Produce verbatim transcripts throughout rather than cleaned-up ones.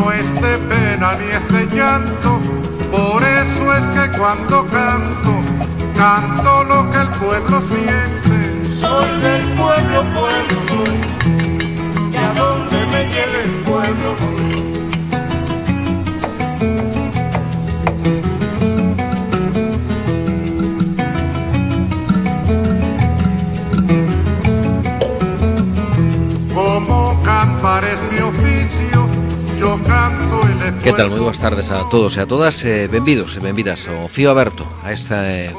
no es de pena ni es de llanto, por eso es que cuando canto, canto lo que el pueblo siente. Soy del pueblo, pueblo soy, y a donde me lleve el pueblo voy. Como cantar es mi oficio, yo canto el esfuerzo. Que tal? Moi boas tardes a todos e a todas, eh, benvidos e benvidas ao Fío Aberto, a esta eh,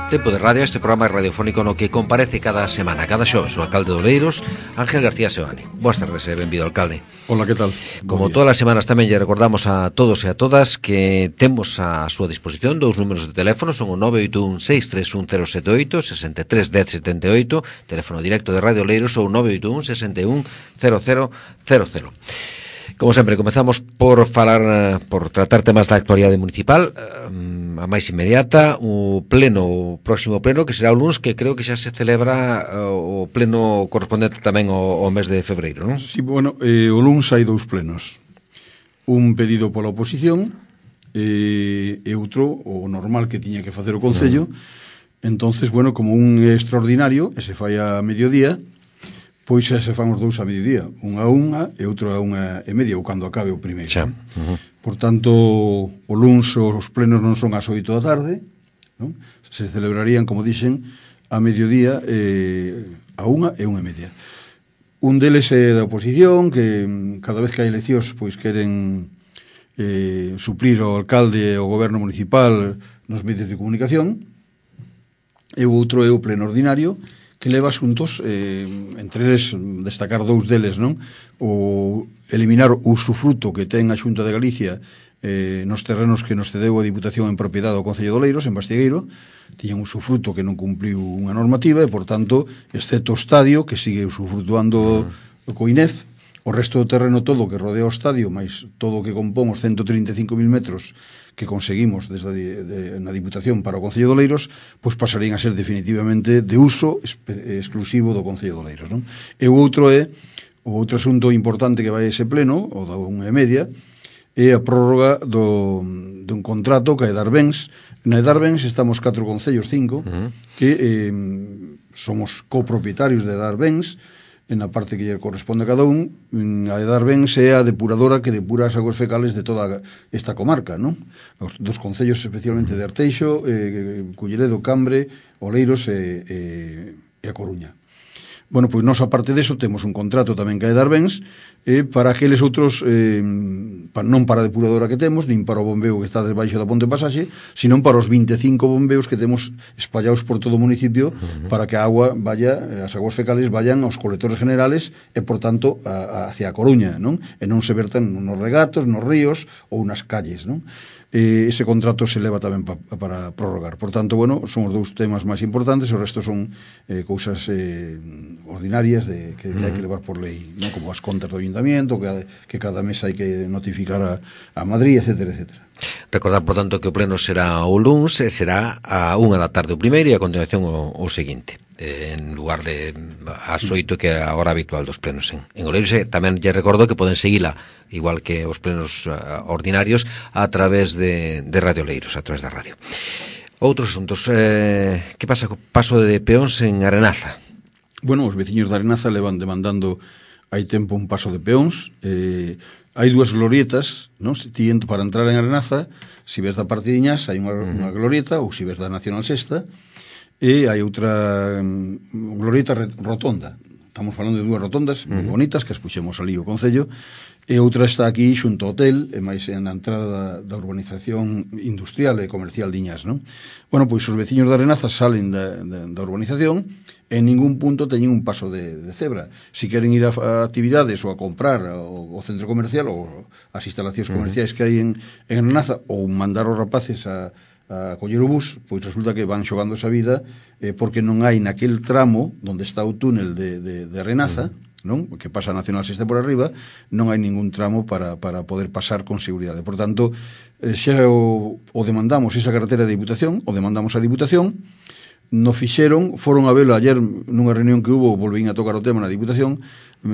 tempo de radio, a este programa radiofónico no que comparece cada semana, cada xoves, o alcalde de Oleiros, Ángel García Seoane. Boas tardes e benvido, alcalde. Hola, que tal? Como todas as semanas tamén lle recordamos a todos e a todas que temos a súa disposición dous números de teléfono, son o nove oito un seis tres un cero sete oito, sesenta e tres dez setenta e oito, teléfono directo de Radio Oleiros, ou nove oito un sesenta e un cero cero cero cero. Como sempre, comezamos por falar, por tratar temas da actualidade municipal, a máis inmediata, o pleno, o próximo pleno, que será o luns, que creo que xa se celebra o pleno correspondente tamén ao, ao mes de febreiro, non? Sí, bueno, eh, o luns hai dous plenos. Un pedido pola oposición eh, e outro, o normal que tiña que facer o Concello. Mm. Entonces, bueno, como un extraordinario, e se fai a mediodía, pois xa se fan os dous a mediodía, unha a unha e outro a unha e media, ou cando acabe o primeiro. Xa. Uh-huh. Por tanto, o luns os plenos non son ás oito da tarde, non? Se celebrarían, como dixen, a mediodía eh, a unha e unha e media. Un deles é da oposición, que cada vez que hai eleccións pois queren eh, suplir o alcalde e o goberno municipal nos medios de comunicación, e o outro é o pleno ordinario, que leva asuntos, eh, entre eles destacar dous deles, non? O eliminar o usufruto que ten a Xunta de Galicia eh, nos terrenos que nos cedeu a Diputación en propiedade do Concello de Oleiros, en Bastigueiro. Tiñan un usufruto que non cumpliu unha normativa e, por tanto, excepto o estadio, que sigue usufrutuando o COINEF, o resto do terreno todo que rodea o estadio, máis todo o que compón os ciento trinta e cinco mil metros que conseguimos desde de, de, na Diputación para o Concello de Oleiros, pois pasarían a ser definitivamente de uso espe, exclusivo do Concello de Oleiros, non? E o outro é, o outro asunto importante que vai a ese pleno, o da unha e media, é a prórroga do, dun contrato que é Darbens. Na Darbens estamos catro concellos, cinco, uh-huh. que eh, somos copropietarios de Darbens, en a parte que lle corresponde a cada un. A Darbens é a depuradora que depura as aguas fecales de toda esta comarca, non? Os dos concellos especialmente de Arteixo, eh, Culleredo, Cambre, Oleiros e, e, e a Coruña. Bueno, pois nós, aparte deso, temos un contrato tamén que é Darbens eh, para aqueles outros, eh, pa, non para a depuradora que temos, nin para o bombeo que está debaixo da ponte pasaxe, sino para os vinte e cinco bombeos que temos espallados por todo o municipio, uh-huh. para que a agua vaya, as aguas fecales vayan aos colectores generales e, por tanto, a, a, hacia a Coruña, non? E non se vertan nos regatos, nos ríos ou nas calles, non? Eh, ese contrato se leva tamén pa, para prorrogar. Por tanto, bueno, son os dous temas máis importantes, o resto son eh, cousas eh, ordinarias de, que uh-huh. hai que levar por lei, non? Como as contas do ayuntamiento, que, que cada mes hai que notificar a, a Madrid, etcétera, etcétera. Recordar, por tanto, que o pleno será o luns e será a unha da tarde o primeiro e a continuación o, o seguinte, en lugar de as oito que é a hora habitual dos plenos en, en Oleiros. Tamén lle recordo que poden seguila, igual que os plenos uh, ordinarios, a través de, de Radio Oleiros, a través da radio. Outros asuntos, eh, que pasa co paso de peóns en Arenaza? Bueno, os veciños de Arenaza levan demandando hai tempo un paso de peóns. eh, hai dúas glorietas, non? Tiendo para entrar en Arenaza, se ves da parte de Iñás hai unha, uh-huh. unha glorieta, ou se ves da Nacional Sexta, e hai outra um, glorieta rotonda. Estamos falando de dúas rotondas uh-huh. moi bonitas que as puxemos ali o Concello, e outra está aquí xunto ao hotel, e máis na entrada da, da urbanización industrial e comercial de Iñás, non? Bueno, pois os veciños de Arenaza salen da, da, da urbanización, en ningún punto teñen un paso de, de cebra. Si queren ir a, a actividades ou a comprar o, o centro comercial ou as instalacións comerciais uh-huh. que hai en, en Arenaza, ou mandar os rapaces a, a coller o bus, pois resulta que van xogando esa vida eh, porque non hai naquel tramo onde está o túnel de, de, de Arenaza, uh-huh. non? Que pasa a Nacional Sexta por arriba, non hai ningún tramo para, para poder pasar con seguridade. Por tanto, eh, xa o, o demandamos esa carretera de Diputación, o demandamos a Diputación, no fixeron, foron a velo ayer nunha reunión que hubo, volvín a tocar o tema na Diputación,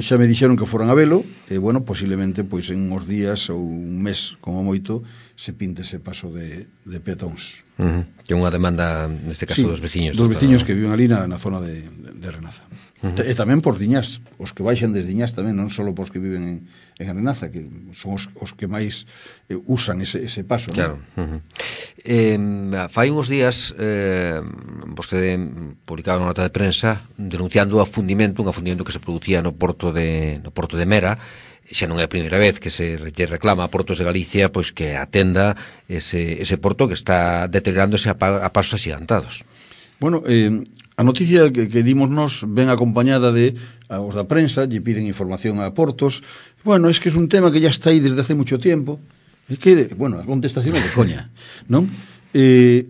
xa me dixeron que foran a velo, e, bueno, posiblemente, pois, en uns días ou un mes, como moito, se pinte ese paso de, de peatóns. Uh -huh. Que é unha demanda, neste caso, sí, dos veciños. Dos veciños que viven ali na, na zona de, de, de Renaza. Uh -huh. E tamén por Diñás, os que baixan desde Diñás tamén, non só os que viven en, en Renaza, que son os, os que máis eh, usan ese, ese paso. Claro. ¿No? Uh -huh. eh, fai uns días eh, vostede publicaba unha nota de prensa denunciando o afundimento, un afundimento que se producía no porto de, no porto de Mera. Xa non é a primeira vez que se reclama a Portos de Galicia pois que atenda ese, ese porto que está deteriorándose a, pa, a pasos axigantados. Bueno, eh, a noticia que, que dimos nos ven acompañada de a os da prensa, lle piden información a Portos. Bueno, es que es un tema que ya está aí desde hace mucho tiempo. É que, bueno, a contestación é de coña, non? Eh,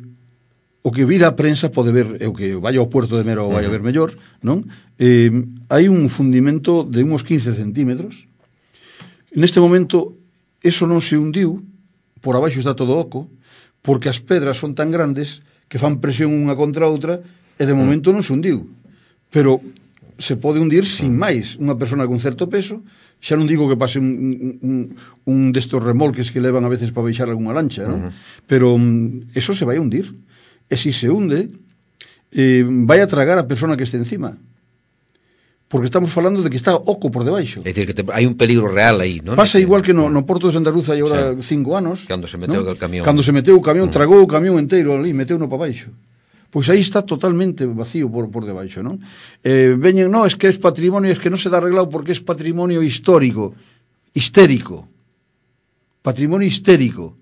o que vira a prensa pode ver, é o que vaya ao puerto de Mera ou vaya a ver mellor, non? Eh, hai un fundimento de uns quince centímetros. Neste momento, eso non se hundiu, por abaixo está todo oco, porque as pedras son tan grandes que fan presión unha contra a outra, e de momento non se hundiu. Pero se pode hundir sin máis. Unha persona con certo peso, xa non digo que pase un, un, un destos remolques que levan a veces para baixar algunha lancha, non? Uh -huh. Pero um, eso se vai a hundir. E se se hunde, eh, vai a tragar a persona que este encima. Porque estamos falando de que está oco por debaixo. É dicir, que te, hai un peligro real aí, non? Pasa igual que no, no Porto de Santa Luz hai agora sí. cinco anos. Cando se meteu ¿no? o camión. Cando se meteu o camión, mm. tragou o camión inteiro ali, meteu no para baixo. Pois aí está totalmente vacío por, por debaixo, non? Eh, veñen, no, es que es patrimonio, es que non se dá arreglado porque es patrimonio histórico, histérico. Patrimonio histérico.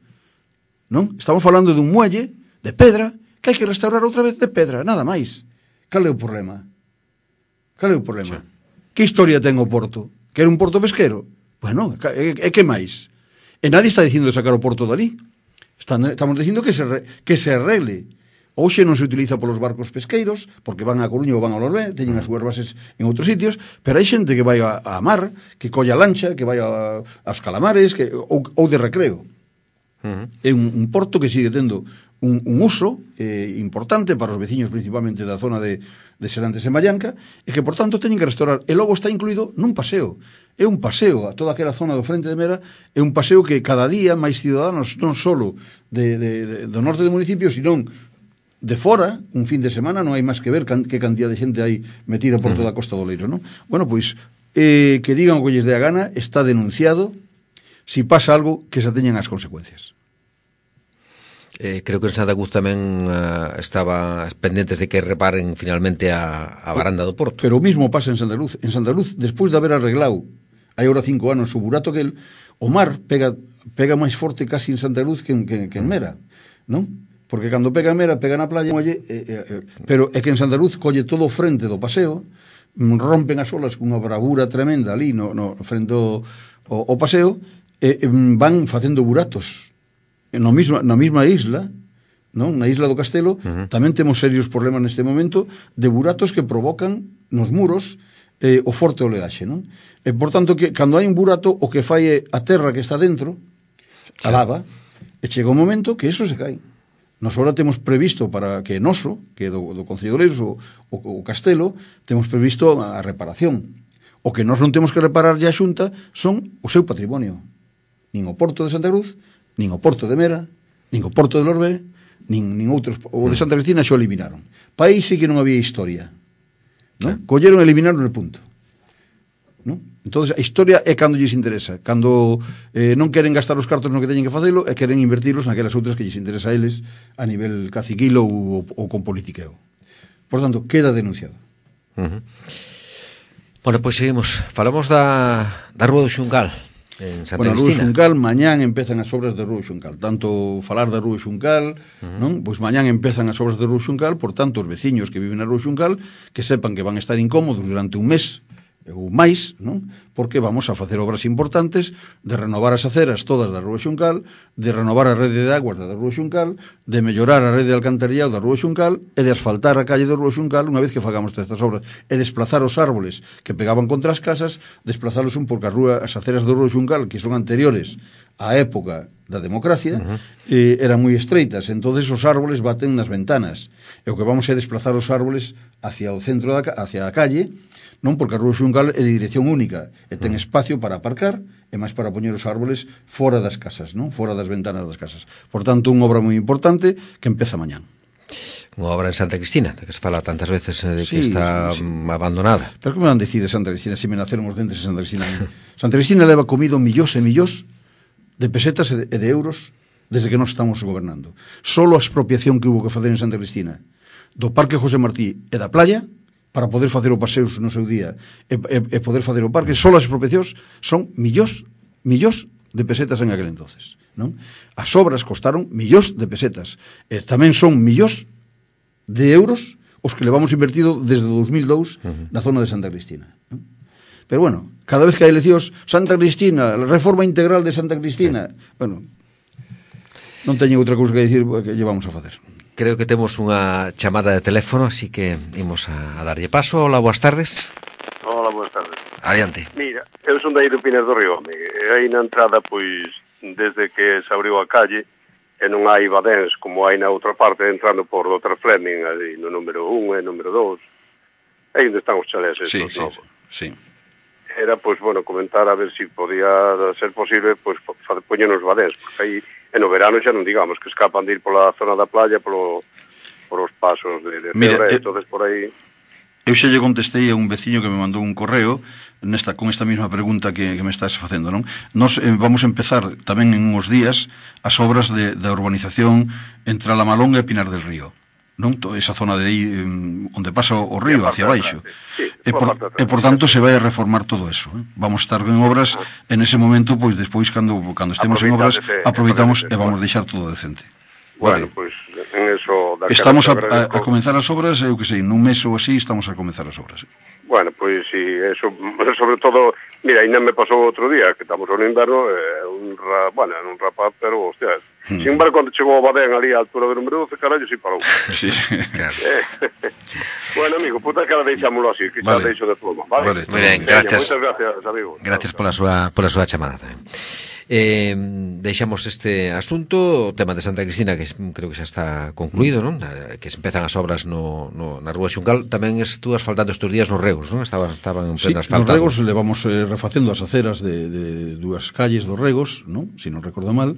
Non? Estamos falando dun muelle de pedra que hai que restaurar outra vez de pedra, nada máis. Cal é o problema? Cal é o problema? Sí. Que historia ten o porto? Que era un porto pesquero? Bueno, e, e que máis? E nadie está dicindo de sacar o porto dali. Están, estamos dicindo que se, re, que se arregle. Hoxe non se utiliza polos barcos pesqueiros, porque van a Coruña ou van a Lorbe, teñen as súas bases en outros sitios, pero hai xente que vai a, a mar, que colla lancha, que vai a, aos calamares, que, ou, ou de recreo. Uh -huh. É un, un porto que sigue tendo un, un uso eh, importante para os veciños principalmente da zona de, de Serantes e Mallanca, e que por tanto teñen que restaurar, e logo está incluído nun paseo. É un paseo a toda aquela zona do frente de Mera, é un paseo que cada día máis ciudadanos, non só de, de, de, do norte do municipio, sino de fora, un fin de semana, non hai máis que ver can, que cantidad de xente hai metida por toda a Costa do Leiro, non? Bueno, pois, eh, que digan o que lles dé a gana, está denunciado, si pasa algo, que se teñan as consecuencias. Eh, creo que en Santa Cruz tamén uh, estaba pendentes de que reparen finalmente a, a baranda do porto. Pero o mismo pasa en Santa Cruz. En Santa Cruz, despois de haber arreglado hai ahora cinco anos o burato que el, o mar pega, pega máis forte casi en Santa Cruz que en, que, que en Mera, non? Porque cando pega en Mera, pega na playa, oye, eh, eh, pero é que en Santa Cruz colle todo o frente do paseo, rompen as olas cunha bravura tremenda ali no, no frente ao, ao paseo, e eh, van facendo buratos. No misma, na mesma isla, non? Na isla do Castelo, uh -huh. tamén temos serios problemas neste momento de buratos que provocan nos muros eh, o forte oleaxe, non? E, por tanto, que cando hai un burato, o que fai é a terra que está dentro, a lava, e chega un momento que eso se cae. Nos ahora temos previsto para que noso, que do, do Concello de Oleiros, o, o, o Castelo, temos previsto a reparación. O que nós non temos que reparar ya a Xunta son o seu patrimonio. Nin o Porto de Santa Cruz, nin o Porto de Mera, nin o Porto de Lorbe, nin, nin outros. O de Santa Cristina xo eliminaron. País sí que non había historia, ¿no? Sí. Colleron e eliminaron el punto, ¿no? Entonces a historia é cando lles interesa, cando eh, non queren gastar os cartos no que teñen que facelo e queren invertirlos naquelas outras que lles interesa a eles a nivel caciquilo ou, ou con politiqueo. Por tanto, queda denunciado. Uh -huh. Bueno, pois pues seguimos. Falamos da, da Rúa do Xuncal en Santa bueno, Cristina. Rúa Xuncal, mañán empezan as obras de Rúa Xuncal. Tanto falar da Rúa Xuncal, uh -huh. non? Pois mañán empezan as obras de Rúa Xuncal, por tanto, os veciños que viven na Rúa Xuncal que sepan que van a estar incómodos durante un mes ou máis, non? Porque vamos a facer obras importantes de renovar as aceras todas da Rúa Xuncal, de renovar a rede de aguas da Rúa Xuncal, de mellorar a rede de alcantarillado da Rúa Xuncal e de asfaltar a calle da Rúa Xuncal unha vez que fagamos estas obras e desplazar os árboles que pegaban contra as casas, desplazalos un porque a rúa, as aceras da Rúa Xuncal, que son anteriores á época da democracia, uh -huh. eh, eran moi estreitas, entonces os árboles baten nas ventanas, e o que vamos é desplazar os árboles hacia o centro da, hacia a calle, non? Porque a Rúa Xuncal é de dirección única e ten espacio para aparcar e máis para poñer os árboles fora das casas, non? Fora das ventanas das casas. Por tanto, unha obra moi importante que empeza mañán. Unha obra en Santa Cristina, de que se fala tantas veces eh, de que Sí, está sí, sí. abandonada. Pero como van decir de Santa Cristina se me naceron os dentes de Santa Cristina? Santa Cristina leva comido millóns e millóns de pesetas e de, e de euros desde que nós estamos gobernando. Solo a expropiación que hubo que facer en Santa Cristina do Parque José Martí e da playa para poder facer o paseos no seu día e, e, e poder facer o parque, solo as expropiacións son millóns, millóns de pesetas en aquel entonces, non? As obras costaron millóns de pesetas e tamén son millóns de euros os que levamos invertido desde o dos mil dous uh-huh. na zona de Santa Cristina, non? Pero bueno, cada vez que hai eleccións, Santa Cristina, a reforma integral de Santa Cristina, sí. Bueno, non teño outra cousa que dicir que llevamos a facer. Creo que temos unha chamada de teléfono, así que imos a, a darlle paso. Hola, boas tardes. Hola, boas tardes. Adiante. Mira, eu son de aí do Pinar do Río, amigo. E aí na entrada, pois, desde que se abriu a calle, e non hai badéns como hai na outra parte, entrando por doutor Fleming, ali no número un e número dos. Aí onde están os chalés estos sí, sí, novos. Sí. Era, pois, bueno, comentar a ver se si podía ser posible, pois, poñer nos badéns, porque aí, e no verano xa non digamos, que escapan de ir pola zona da playa, polo, por os pasos de, de Mira, Cebre, eh, entonces por aí... Eu xa lle contestei a un veciño que me mandou un correo nesta con esta mesma pregunta que, que me estás facendo, non? Nos eh, vamos a empezar tamén en uns días as obras de, de urbanización entre Alamalonga e Pinar del Río, non? Toda esa zona de aí eh, onde pasa o río hacia baixo. Sí, e, por, e por tanto se vai a reformar todo eso, eh? Vamos a estar en obras en ese momento, pois despois cando cando estemos en obras aproveitamos e vamos deixar todo decente. Bueno, vale. Pois pues, en eso... Estamos a, a, a comenzar as obras, eu que sei, nun mes ou así estamos a comenzar as obras. Bueno, pois pues, si, sí, eso, sobre todo, mira, ainda me pasou outro día, que estamos no inverno, eh, un, ra, bueno, un rapaz, pero, hostia, hmm. sin embargo, cando chegou o Badén ali a altura do número doce, carallo, si parou. Sí, claro. Eh, bueno, amigo, puta que ahora deixámoslo así, que xa vale. Deixo de pluma, vale? Vale, muy bien, gracias. Muchas gracias, amigo. Gracias pola súa, pola súa chamada tamén. Eh, deixamos este asunto, o tema de Santa Cristina, que creo que xa está concluído, non? Que se empezan as obras no, no, na Rúa Xuncal. Tamén estuvo asfaltando estes días nos regos, non? Estaban, estaban en pleno sí, asfaltado. Nos regos levamos eh, refacendo as aceras de, de dúas calles dos regos, non? Si non recordo mal,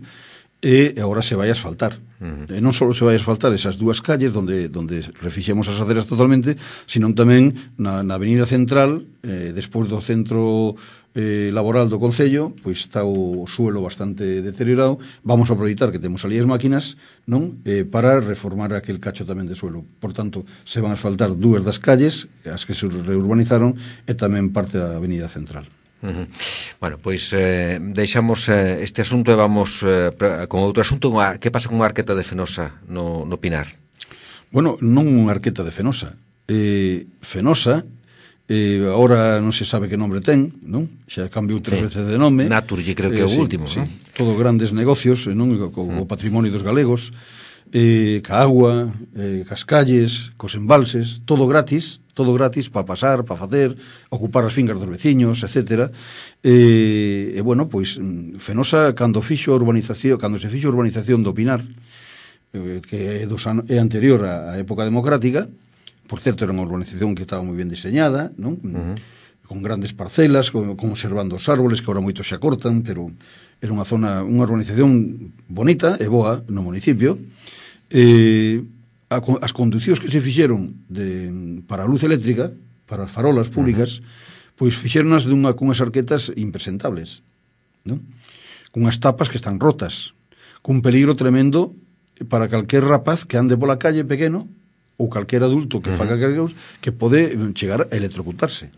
e agora se vai a asfaltar. Uh-huh. E non só se vai a asfaltar esas dúas calles donde donde refixemos as aceras totalmente, sino tamén na, na avenida central, eh, despois do centro eh, laboral do Concello, pois está o suelo bastante deteriorado. Vamos a aproveitar que temos ali as máquinas, non? Eh, para reformar aquel cacho tamén de suelo. Por tanto, se van a asfaltar dúas das calles, as que se reurbanizaron, e tamén parte da avenida central. Uh-huh. Bueno, pois eh, deixamos eh, este asunto e vamos eh, con outro asunto. Que pasa con unha arqueta de Fenosa no, no Pinar? Bueno, non unha arqueta de Fenosa. Eh, Fenosa, eh, ahora non se sabe que nombre ten, non? Xa cambiou tres sí. veces de nome. Naturgy creo que é eh, o sí, último, sí. non? Todo grandes negocios, non? Co, co mm. patrimonio dos galegos, eh, ca agua, eh, cas calles, cos embalses, todo gratis, todo gratis para pasar, para facer, ocupar as fincas dos veciños, etcétera. E, e bueno, pois Fenosa cando fixo a urbanización, cando se fixo a urbanización do Pinar, eh, que é, dos an- é anterior á época democrática, por certo era unha urbanización que estaba moi ben diseñada, non? Uh-huh. Con grandes parcelas, con, conservando os árboles, que agora moitos se acortan, pero era unha zona, unha urbanización bonita e boa no municipio. Eh, as conducións que se fixeron de, para a luz eléctrica, para as farolas públicas, uh-huh. pois fixéronas dunha, cunhas arquetas impresentables, non? Cunhas tapas que están rotas, cun peligro tremendo para calquer rapaz que ande pola calle pequeno ou calquer adulto que uh-huh. faga cargos, que pode chegar a electrocutarse.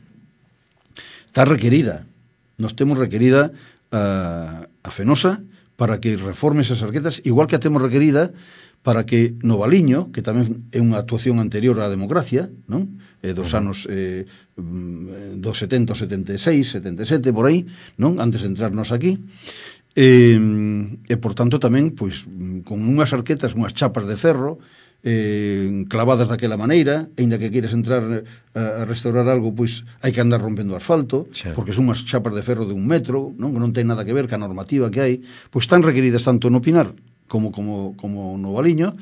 Está requerida, nos temos requerida a, a Fenosa para que reforme esas arquetas, igual que a temos requerida para que no Valiño, que tamén é unha actuación anterior á democracia, non? Eh, dos uh-huh. anos eh, dos setenta, setenta e seis, setenta e sete, por aí, non? Antes de entrarnos aquí. Eh, e, por tanto, tamén, pois, con unhas arquetas, unhas chapas de ferro, eh, clavadas daquela maneira, aínda que queres entrar a, a restaurar algo, pois, hai que andar rompendo asfalto, sí. porque son unhas chapas de ferro de un metro, non? Que non ten nada que ver ca normativa que hai, pois están requeridas tanto no Pinar como como como no Valiño,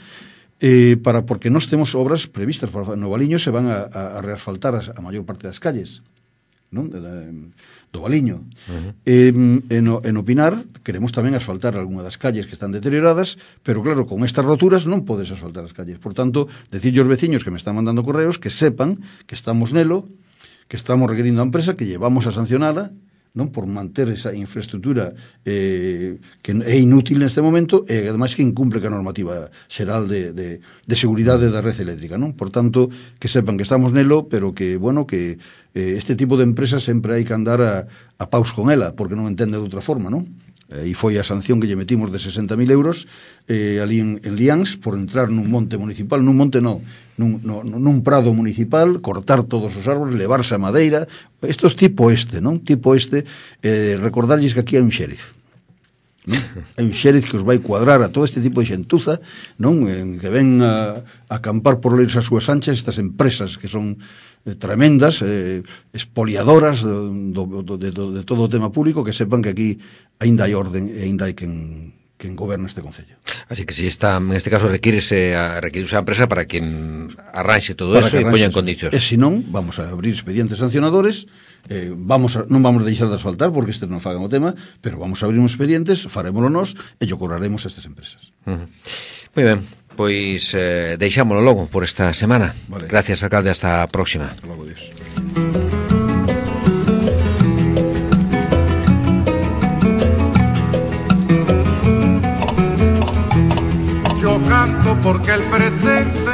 eh, para porque nós temos obras previstas para no Valiño, se van a, a, a reasfaltar as, a maior parte das calles, non? De, de, do Valiño. Uh-huh. E, en, en Opinar queremos tamén asfaltar algunha das calles que están deterioradas, pero claro, con estas roturas non podes asfaltar as calles. Por tanto, decirlle aos veciños que me están mandando correos que sepan que estamos nelo, que estamos requerindo a empresa, que llevamos a sancionala, non, por manter esa infraestructura eh, que é inútil neste momento e ademais que incumple ca normativa xeral de, de, de seguridade da rede eléctrica, non? Por tanto, que sepan que estamos nelo, pero que, bueno, que eh, este tipo de empresas sempre hai que andar a, a paus con ela, porque non entende de outra forma, non? E foi a sanción que lle metimos de sesenta mil euros eh, ali en, en Liáns por entrar nun monte municipal, nun monte non, nun, no, nun prado municipal, cortar todos os árboles, levarse a madeira. Isto é tipo este, non? Tipo este, eh, recordarlles que aquí hai un xeriz, non? Hai un xeriz que os vai cuadrar a todo este tipo de xentuza, non? En que ven a, a acampar por leirse as súas anchas estas empresas que son eh, tremendas, eh, expoliadoras do, do, do, de, do, de todo o tema público, que sepan que aquí aínda hai orden e aínda hai quen, quen goberna este concello. Así que si está, en este caso requírese a, requírese a empresa para que arranxe todo para eso e poña en condicións. E se non, vamos a abrir expedientes sancionadores, eh, vamos a, non vamos a deixar de asfaltar porque este non fagan o tema, pero vamos a abrir uns expedientes, farémolo nós e yo cobraremos a estas empresas. Uh-huh. Moi ben, pois eh, deixámolo logo por esta semana. Vale. Gracias, alcalde, hasta a próxima. Hasta logo, Dios. Yo canto porque el presente